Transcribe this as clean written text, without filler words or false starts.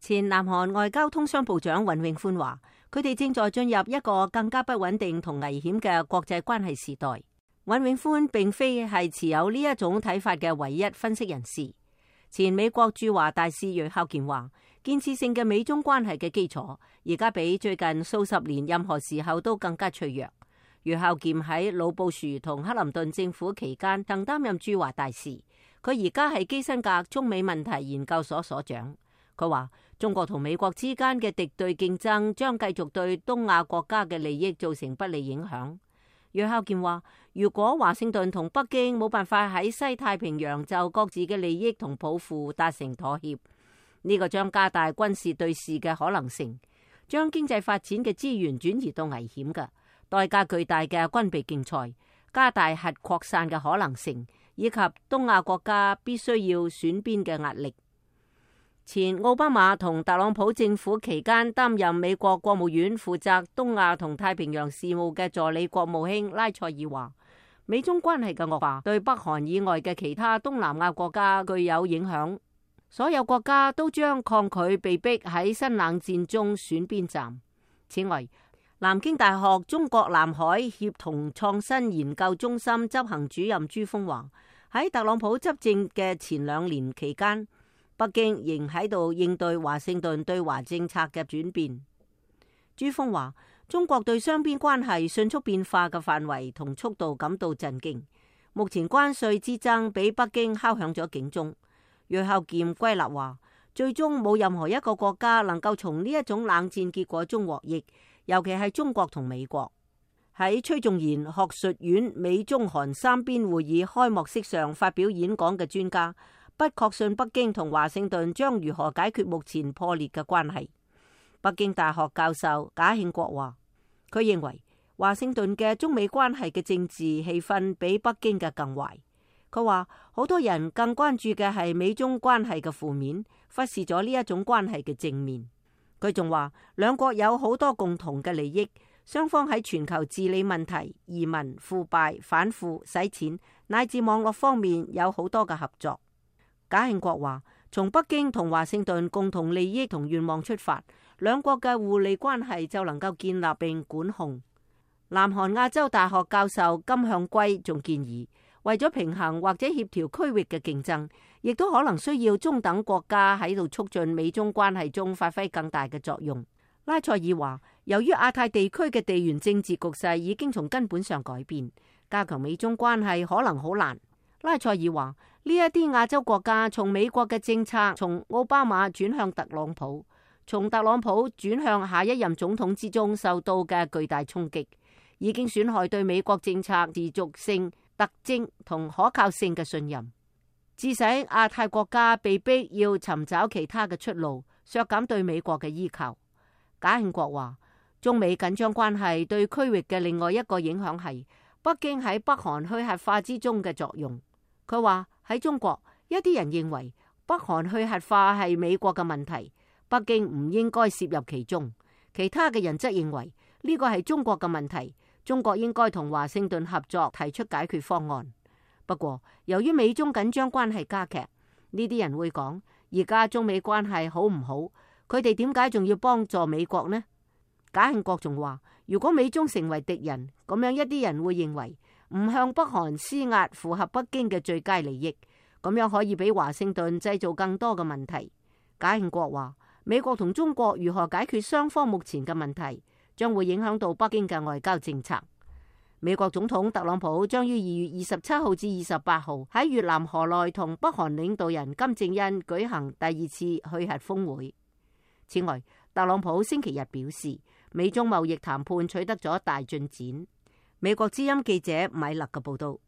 前南韓外交通商部長尹永歡話，佢哋正在進入一個更加不穩定同危險嘅國際關係時代。尹永歡並非係持有呢一種睇法嘅唯一分析人士。前美國駐華大使銳孝健話，建設性嘅美中關係嘅基礎而家比最近數十年任何時候都更加脆弱。銳孝健喺老布殊同克林頓政府期間曾擔任駐華大使，佢而家係基辛格中美問題研究所所長。佢話中國同美國之間嘅敵對競爭將繼續對東亞國家嘅利益造成不利影響。銳孝健話，如果華盛頓同北京冇辦法喺西太平洋就各自嘅利益同抱負達成妥協，呢個將加大軍事對峙嘅可能性，將經濟發展嘅資源轉移到危險嘅代價巨大嘅軍備競賽，加大核擴散嘅可能性，以及東亞國家必須要選邊嘅壓力。前奧巴馬同特朗普政府期間擔任美國國務院負責東亞同太平洋事務嘅助理國務卿拉塞爾話，美中關係嘅惡化對北韓以外嘅其他東南亞國家具有影響，所有國家都將抗拒被逼喺新冷戰中選邊站。此外，南京大學中國南海協同創新研究中心執行主任朱鋒話，喺特朗普執政嘅前2年期間，北京仍喺度應對華盛頓對華政策嘅轉變。朱鋒話，中國對雙邊關係迅速變化嘅範圍同速度感到震驚。目前關稅之爭俾北京敲響咗警鐘。銳孝健歸納話，最終冇任何一個國家能夠從呢一種冷戰結果中獲益，尤其係中國同美國。喺崔仲賢學術院美中韓三邊會議開幕式上發表演講嘅專家，不確信北京同華盛頓將如何解決目前破裂嘅關係。北京大學教授賈慶國話，佢認為華盛頓嘅中美關係嘅政治氣氛比北京嘅更壞。佢話好多人更關注嘅係美中關係嘅負面，忽視咗呢一種關係嘅正面。佢仲話兩國有好多共同嘅利益，雙方喺全球治理問題、移民、腐敗、反腐、洗錢乃至網絡方面有好多嘅合作。賈慶國話，從北京同華盛頓共同利益同願望出發，兩國嘅互利關係就能夠建立並管控。南韓亞洲大學教授金向圭仲建議，為咗平衡或者協調區域嘅競爭，亦都可能需要中等國家喺度促進美中關係中發揮更大嘅作用。拉塞爾話，由於亞太地區嘅地緣政治局勢已經從根本上改變，加強美中關係可能好難。拉塞爾話，呢一啲亞洲國家從美國嘅政策，從奧巴馬轉向特朗普，從特朗普轉向下一任總統之中受到嘅巨大衝擊，已經損害對美國政策持續性、特徵同可靠性嘅信任，致使亞太國家被逼要尋找其他嘅出路，削減對美國嘅依靠。賈慶國話，中美緊張關係對區域嘅另外一個影響係北京喺北韓去核化之中嘅作用。佢話喺中國，一啲人認為北韓去核化係美國嘅問題，北京唔應該涉入其中。其他嘅人則認為呢個係中國嘅問題，中國應該同華盛頓合作提出解決方案。不過，由於美中緊張關係加劇，呢啲人會講，而家中美關係好唔好？佢哋點解仲要幫助美國呢？賈慶國仲話，如果美中成為敵人，咁樣一啲人會認為唔向北韓施壓符合北京嘅最佳利益，咁樣可以俾華盛頓製造更多嘅問題。賈慶國話，美國同中國如何解決雙方目前嘅問題，將會影響到北京嘅外交政策。美國總統特朗普將於2月27號至28號喺越南河內同北韓領導人金正恩舉行第2次去核峰會。此外，特朗普星期日表示，美中貿易談判取得咗大進展。美國之音記者米勒嘅報道。